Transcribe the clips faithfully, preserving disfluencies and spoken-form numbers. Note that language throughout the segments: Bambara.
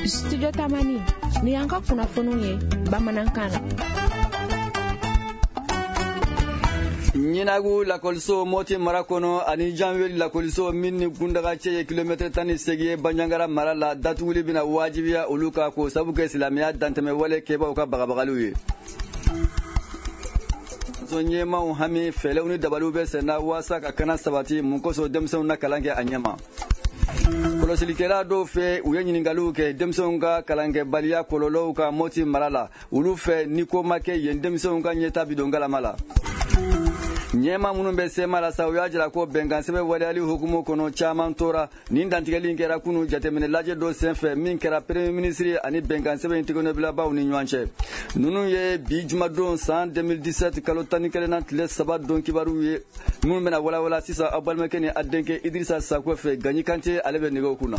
Studio Tamani ni y'an ka kunnafoniw ye bamanankan na. Ɲinagu lakɔliso Moti mara kɔnɔ ani Janweli lakɔliso min ni kundaga cɛ ye kilomɛtɛrɛ tan ni seegin ye Banjagara mara la, datuguli bɛna wajibiya olu kan k'o sabu kɛ silamɛya dantɛmɛwale kɛbaaw ka bagabagaliw ye. Ɲɛmaw hami fɛlɛw ni dabaliw bɛ senna waasa ka kana sabati mun kosɔn denmisɛnw na kalan kɛ a ɲɛma. Kɔlɔsilikɛla dɔw fɛ, u ye ɲininkaliw kɛ denmisɛnw ka kalankɛbaliya kɔlɔlɔw kan Moti mara la. Olu fɛ, ni ko ma kɛ yen, denmisɛnw ka ɲɛta bi don galama la. Ɲɛma minnu bɛ sema la sa, u y'a jira ko bɛnkan sɛbɛn waleyali hukumu kɔnɔ, caman tora. Nin dantigɛli in kɛra kunu jateminɛ lajɛ dɔ senfɛ min kɛra premier ministre ani bɛnkan sɛbɛn in tɛgɛnɔbilabaw ni ɲɔgɔn cɛ. Ninnu ye bi jumadon san deux mille dix-sept kalo tan ni kelen na tile saba don kibaruw ye minnu bɛna walawala sisan aw balimakɛ ni a denkɛ Idirisa Sako fɛ. Gaɲi Kante, ale bɛ nɛgɛw kunna.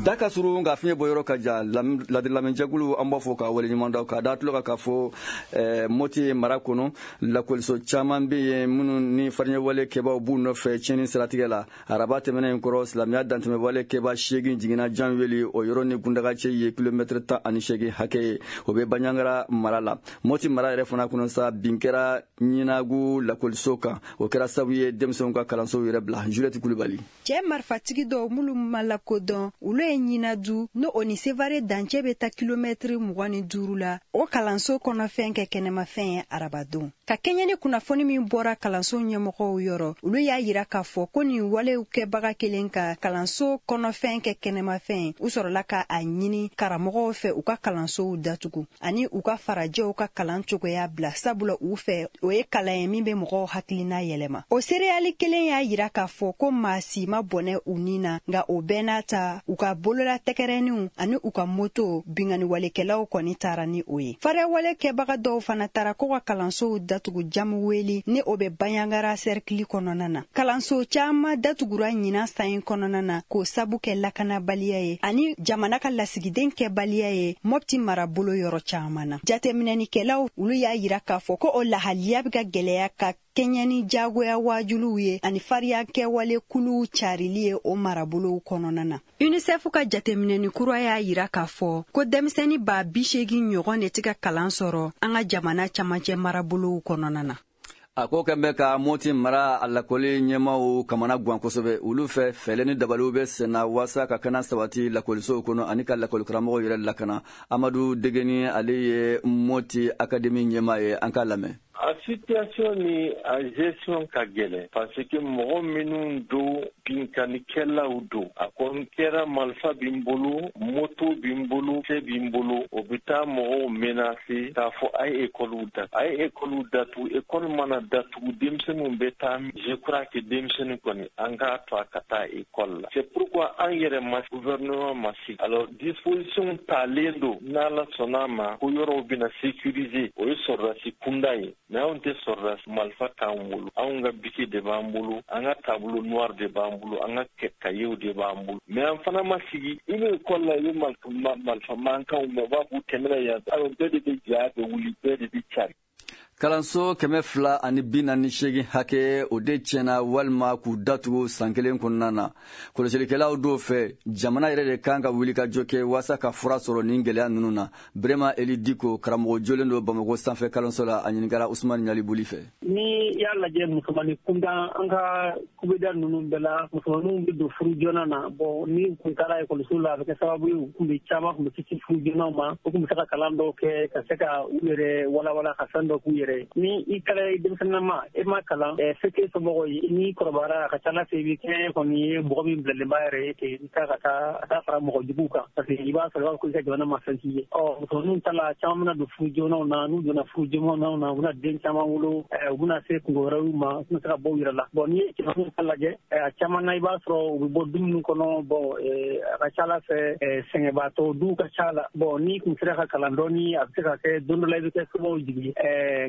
Da ka surun nka fiɲɛ bɔyɔrɔ ka jan. Ladililamɛnjɛkulu, an b'a fɔ k'a waleɲuman dɔn k'a da tulo kan k'a fɔ eh, Moti mara kɔnɔ, lakɔliso caman bɛ yen minnu ni fariɲɛwale kɛbaaw b'u nɔfɛ tiɲɛni siratigɛ la. Araba tɛmɛnen in kɔrɔ, silamɛya dantɛmɛwale kɛbaa seegin jiginna Janweli, o yɔrɔ ni kundaga cɛ ye kilomɛtɛrɛ tan ani seegin hakɛ ye, o bɛ Banjagara mara la. Moti mara yɛrɛ fana kɔnɔ sa, bin kɛra Ɲinagu lakɔliso kan, o kɛra sababu ye denmisɛnw ka kalansow yɛrɛ bila. Juliette Kulibali. Cɛɛ marifatigi dɔw minnu ma lakodɔn, olu ye Ɲinadu n'o o ni Sevare dancɛ bɛ taa kilomɛtiri mugan ni duuru la, o kalanso kɔnɔfɛn kɛ kɛnɛmafɛn ye arabadon. Ka kɛɲɛ ni kunnafoni min bɔra kalanso ɲɛmɔgɔw yɔrɔ, olu y'a yira k'a fɔ ko nin walew kɛbaga kelen ka kalanso kɔnɔfɛn kɛ kɛnɛmafɛn, u sɔrɔla ka a ɲini karamɔgɔw fɛ u ka kalansow datugu ani u ka farajɛw ka kalan cogoya bila, sabula u fɛ, o ye kalan ye min bɛ mɔgɔw hakilina yɛlɛma. O seereyali kelen y'a yira k'a fɔ ko maa si ma bɔnɛ u ni na, nka o bɛɛ n'a ta, u ka bolola tɛgɛrɛninw ani u ka moto, binganiwalekɛlaw kɔni taara ni o ye. Fariyawale kɛbaga dɔw fana taara ko ka kalansow datugu Jamuweli ni o bɛ Banjagara sɛrikili kɔnɔna na. Kalanso caaman datugura ɲinan san in kɔnɔna na k'o sabu kɛ lakanabaliya ye ani jamana ka lasigiden kɛbaliya ye Mɔpti marabolo yɔrɔ caaman na. Jateminɛnikɛlaw, olu y'a yira k'a fɔ ko o lahaliya bɛ ka gwɛlɛya ka kɛɲɛ ni jagoya wajuliw ye ani fariya kɛwale kuluw carili ye o marabolow kɔnɔna na. UNICEF ka jateminɛni kura y'a yira k'a fɔ ko denmisɛnni ba bi seegin ɲɔgɔn de tɛ ka kalan sɔrɔ an ka jamana camancɛ marabolow kɔnɔna na. A ko kɛn bɛ ka Moti mara a lakɔli ɲɛmaw kamana guwan kosɛbɛ. Olu fɛ, fɛlɛ ni dabaliw bɛ senna waasa ka kana sabati lakɔlisow kɔnɔ ani ka lakɔlikaramɔgɔw yɛrɛ lakana. Amadu Degeni, ale ye Moti akademi ɲɛma ye, an k'a lamɛn. A situation ni a gestion ka gɛlɛn parce que mɔgɔ minnu don, binkannikɛlaw don. A kɔni kɛra marifa b'i bolo, moto b'i bolo, cɛ b'i bolo, o bɛ taa mɔgɔw menacer k'a fɔ a ye ekɔliw datugu, a ye ekɔliw datugu. Ekɔli mana datugu, denmisɛnninw bɛ taa. Je crois que denmisɛnnin kɔni, an k'a to a ka taa ekɔli la. C'est pourquoi an yɛrɛ ma, gouvernement ma sigi. Alors disposition talen don, n'Ala sɔnna a ma, ko yɔrɔw bɛna sécuriser. O ye sɔrɔdasi kunda ye, mais anw tɛ sɔrɔdasi, marifa t'an bolo. Anw ka biki de b'an bolo, an ka tableau noir de b'an bolo, an ka cahier de b'an bolo. Mais an fana ma sigi. I bɛ ekɔli la, i bɛ marifa mankanw mɛn, u b'a fɔ u tɛmɛna yan. Alors bɛɛ de bɛ ja bɛ wuli, bɛɛ de bɛ cari. Kalanso kɛmɛ fila ani bi naani seegin hakɛ, o de tiɲɛna walima k'u datugu san kelen kɔnɔna na. Kɔlɔsilikɛlaw dɔw fɛ, jamana yɛrɛ de kan ka wuli ka jɔ kɛ waasa ka fura sɔrɔ nin gwɛlɛya ninnu na. Brema Eli Diko, karamɔgɔ jolen don Bamako sanfɛ kalanso la, a ɲininkara Usumani Ɲalibuli fɛ. Ni y'a lajɛ, musomani kunda, an ka kubeda ninnu bɛɛ la, musomaninw bɛ don furu joona na. Bon, ni kun taara ekɔliso la, a bɛ kɛ sababu ye u kun bɛ caman kun bɛ kisi furu joonaw ma, u kun bɛ se ka kalan dɔw kɛ ka se ka u yɛrɛ walawala ka fɛn dɔ k'u yɛrɛ. Ni i kɛra denmisɛnninama, e ma kalan, se t'e somɔgɔw ye, n'i kɔrɔbayara, a ka ca Ala fɛ i bɛ kɛ kɔni ye mɔgɔ min bilalen b'a yɛrɛ ye ten, i taa ka taa a taa fara mɔgɔ juguw kan, parce que i b'a sɔrɔ i b'a fɔ ko i ka jamana ma fɛn k'i ye. Ɔ musomaninw ta la, caman bɛna don furu joonaw na. N'u donna furu joonaw na, u bɛna den caman wolo, u bɛna se kungo wɛrɛw ma, u tɛna se ka bɔ u yɛrɛ la. Bon, n'i ye cɛmaninw ta lajɛ, a caman na, i b'a sɔrɔ u bɛ bɔ du minnu kɔnɔ, bon, a ka ca Ala fɛ sɛgɛnbaatɔ duw ka ca la. Bon, n'i kun sera ka kalan dɔɔni, a bɛ se ka kɛ don dɔ la i bɛ kɛ somɔgɔw jigi.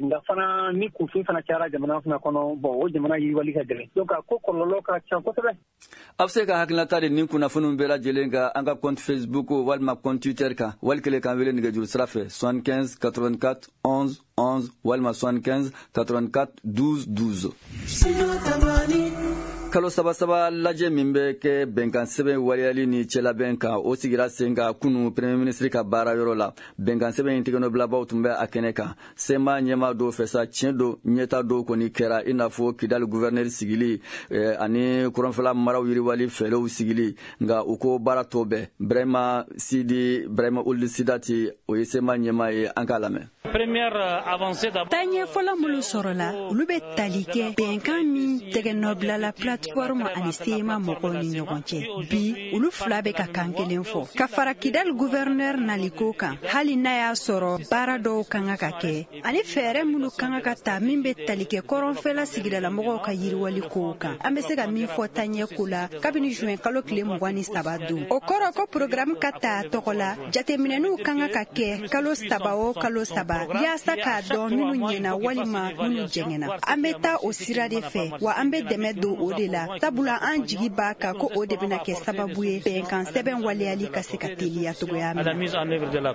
Nka fana, ni kunfin fana cayara jamana fana kɔnɔ, bon, o jamana yiriwali ka gɛlɛn. Donc a ko kɔlɔlɔ ka ca kosɛbɛ. A bɛ se ka hakilinata di nin kunnafoniw bɛɛ lajɛlen kan an ka compte Facebook walima compte Twitter kan, wali kelen k'an wele nɛgɛjuru sira fɛ soixante-quinze quatre-vingt-quatre onze onze walima soixante-quinze quatre-vingt-quatre douze douze. Kalo saba saba lajɛ min bɛ kɛ bɛnkan sɛbɛn waleyali ni cɛlabɛn kan, o sigira sen kan kunu premier ministre ka baara yɔrɔ la. Bɛnkan sɛbɛn in tɛgɛnɔbilabaw tun bɛ a kɛnɛ kan. C M A ɲɛmaa dɔw fɛ sa, tiɲɛ don, ɲɛta dɔw kɔni kɛra, i n'a fɔ Kidali gouverneur sigili eh, ani kɔrɔnfɛla maraw yiriwali fɛɛrɛw sigili. Nka u ko baara tɔ bɛɛ. Brahima Sidi Brahima Ould Sidati, o ye C M A ɲɛmaa ye, an k'a lamɛn. Taaɲɛ fɔlɔ minnu sɔrɔla, olu bɛ tali kɛ bɛnkan min tɛgɛnɔbilala plateforme ani C M A mɔgɔw ni ɲɔgɔn cɛ. Bi, olu fila bɛ ka kan kelen fɔ ka fara Kidali gouverneur naliko kan. Hali n'a y'a sɔrɔ baara dɔw kan ka kɛ ani fɛɛrɛ minnu kan ka ta min bɛ tali kɛ kɔrɔnfɛla sigidalamɔgɔw ka yiriwali kow kan, an bɛ se ka min fɔ taaɲɛ ko la kabini juin kalo tile mugan ni saba don, o kɔrɔ ko programme ka ta a tɔgɔ la. Jateminɛniw kan ka kɛ kalo saba o kalo saba yaasa k'a dɔn minnu ɲɛna walima minnu jɛngɛnna. An bɛ taa o sira de fɛ, wa an bɛ dɛmɛ don o de la, sabula an jigi b'a kan ko o de bɛna kɛ sababu ye bɛnkan sɛbɛn waleyali ka se ka teliya cogoya min na.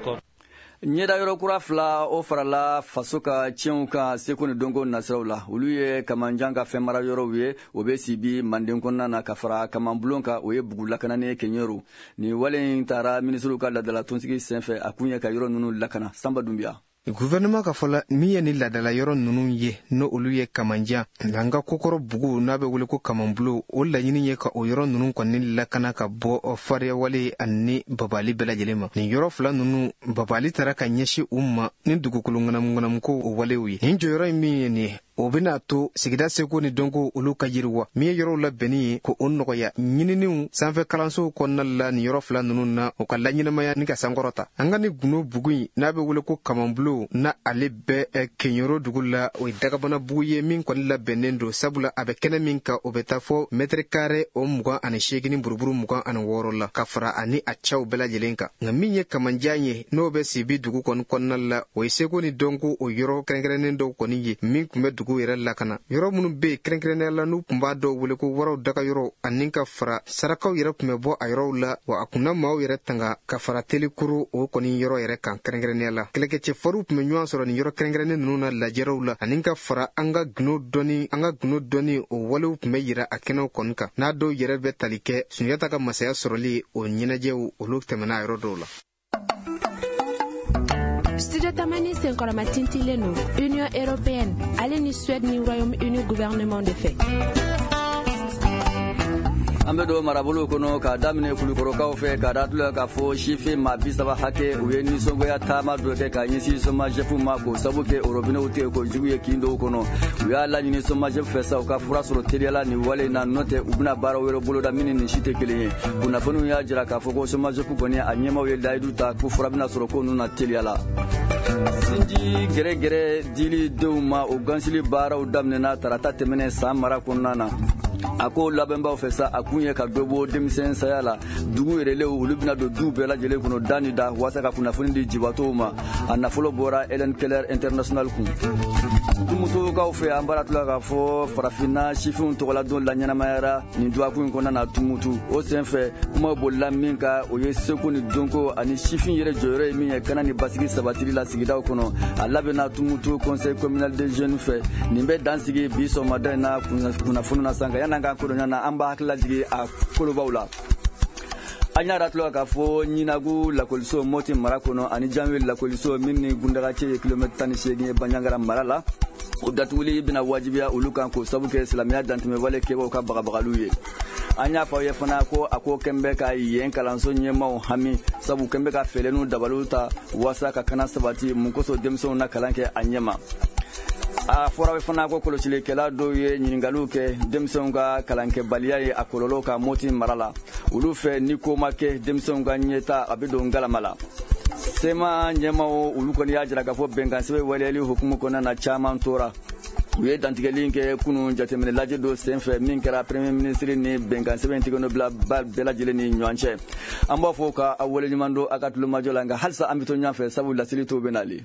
Ɲɛda yɔrɔ kura fila, o farala faso ka tiɲɛw kan seko ni dɔnko nasiraw la. Olu ye Kamanjan ka fɛn mara yɔrɔw ye, o bɛ Sibi manden kɔnɔna na, ka fara Kamanbulon kan, o ye bugu lakananen Kɛɲɛro. Nin wale in taara minisiriw ka ladala tɔnsigi senfɛ. A kun ye ka yɔrɔ ninnu lakana. Sanba Dunbiya. Gouvernement ka fɔ la, min ye ni ladala yɔrɔ ninnu ye, n'o olu ye Kamanjan an ka kokɔrɔ bugu n'a bɛ wele ko Kamanbulo, o laɲini ye ka o yɔrɔ ninnu kɔni lakana ka bɔ fariyawale ani babali bɛɛ lajɛlen ma. Nin yɔrɔ fila ninnu, babali taara ka ɲɛsin u ma ni dugukolo ŋanamuŋanamuko o walew ye. Nin jɔyɔrɔ in min ye nin ye, o bɛna to sigida seko ni dɔnko olu ka yiriwa. Min ye yɔrɔw labɛnni ye ko o nɔgɔya ɲininiw sanfɛ kalansow kɔnɔna la, nin yɔrɔ fila ninnu na, o ka laɲɛnamaya ni ka sankɔrɔta. An ka ni gundo bugu in n'a bɛ wele ko Kamanbulo, na ale bɛ Keɲoro dugu la, o ye dagabana bugu ye min kɔni labɛnnen don, sabula a bɛ kɛnɛ min kan, o bɛ taa fɔ mètre carré o mugan ani seegin buruburu mugan ani wɔɔrɔ la, ka fara ani a cɛw bɛɛ lajɛlen kan. Nka min ye Kamanjan ye, n'o bɛ Sibi dugu kɔni kɔnɔna la, o ye seko ni dɔnko o yɔrɔ kɛrɛnkɛrɛnnen dɔw kɔni ye min tun bɛ dugu yɛrɛ lakana. Yɔrɔ minnu bɛ yen kɛrɛnkɛrɛnnenya la, n'u tun b'a dɔw wele ko waraw daga yɔrɔ, ani ka fara sarakaw yɛrɛ tun bɛ bɔ a yɔrɔw la, wa a kunna maaw yɛrɛ tanga ka fara telikuru o kɔni yɔrɔ yɛrɛ kan. Kɛrɛnkɛrɛnnenya la, kɛlɛkɛcɛ fariw tun bɛ ɲɔgɔn sɔrɔ nin yɔrɔ kɛrɛnkɛrɛnnen ninnu na lajɛrɛw la, ani ka fara an ka gundo dɔnni an ka gundo dɔnni o walew tun bɛ yira a kɛnɛw kɔni kan, n'a dɔw yɛrɛ bɛ tali kɛ Sunjata ka masaya sɔrɔli o ɲɛnajɛw, olu tɛmɛna a yɔrɔ dɔw la. Studio Tamani senkɔrɔma tintilen don Union européenne ale ni Suède ni Royaume-Uni gouvernement de fɛ. An bɛ don marabolo kɔnɔ k'a daminɛ Kulukɔrɔkaw fɛ, k'a datula k'a fɔ sifin maa bi saba hakɛ, u ye nisɔngoya taama dɔ kɛ k'a ɲɛsin SOMAGEP ma, k'o sabu kɛ robinew tigɛ ko jugu ye kin dɔw kɔnɔ. U y'a laɲini SOMAGEP fɛ sa, u ka fura sɔrɔ teliyala nin wale in na, n'o tɛ u bɛna baara wɛrɛ boloda min ni nin si tɛ kelen ye. Kunnafoniw y'a jira k'a fɔ ko SOMAGEP kɔni a ɲɛmaw ye layidu ta ko fura bɛna sɔrɔ ko ninnu na teliyala. Sinji gɛrɛgɛrɛ dili denw ma, o gansili baaraw daminɛna tarata tɛmɛnɛn San mara kɔnɔna na. A ko labɛnbaw fɛ sa, a kun ye ka dɔ bɔ denmisɛn saya la. Dugu yɛrɛlenw, olu bɛna don du bɛɛ lajɛlen kɔnɔ da ni da waasa ka kunnafoni di jibatɔw ma. A nafolo bɔra Helen Keller International kun. Tumutukaw fɛ, an baara tila k'a fɔ farafinna sifinw tɔgɔladon laɲɛnamayara nin dɔgɔkun in kɔnɔna na Tumutu. O senfɛ, kuma bolila min kan, o ye seko ni dɔnko ani sifin yɛrɛ jɔyɔrɔ ye min ye kana ni basigi sabatili la sigidaw kɔnɔ. A labɛnna Tumutu conseil communal des jeunes fɛ. Nin bɛ dan sigi bi sɔgɔmada in na kunnafoni na san kan. Yan'an k'an kodɔn na, an b'a hakili lajigin a kolobaw la. An y'a ratulɔ k'a fɔ Ɲinagu lakɔliso Moti mara kɔnɔ ani Janweli lakɔliso min ni Gundagacɛ ye kilomɛtiri tan ni seegin ye Banjagara mara la, o datuguli bɛna wajibiya olu kan, k'o sabu kɛ silamɛya dantɛmɛwale kɛbaw ka bagabagaliw ye. An y'a fɔ aw ye fana ko a ko kɛn bɛ ka yen kalanso ɲɛmaw hami, sabu kɛn bɛ ka fɛɛrɛ n'u dabaliw ta waasa ka kana sabati. Mun kosɔn denmisɛnw na kalan kɛ a ɲɛma? A fɔra fana ko kɔlɔsilikɛla dɔw ye ɲininkaliw kɛ denmisɛnw ka kalankɛbaliya ye a kɔlɔlɔ ka Moti mara la. Olu fɛ, ni ko ma kɛ, denmisɛnw ka ɲɛta a bɛ don galama la. C M A ɲɛmaw, olu kɔni y'a jira k'a fɔ bɛnkan sɛbɛn waleyali hukumu kɔnɔna na, caman tora. U ye dantigɛli kɛ kunun jateminɛ lajɛ dɔ senfɛ min kɛra premier ministre ni bɛnkan sɛbɛn tigɛnɔ bila bɛɛ lajɛlen ni ɲɔgɔn cɛ. An b'a fɔ ka aw waleɲuman don a ka tulomajɔ la, nka halisa an bɛ to ɲɔgɔn fɛ, sabu laseli tɔw bɛ nali.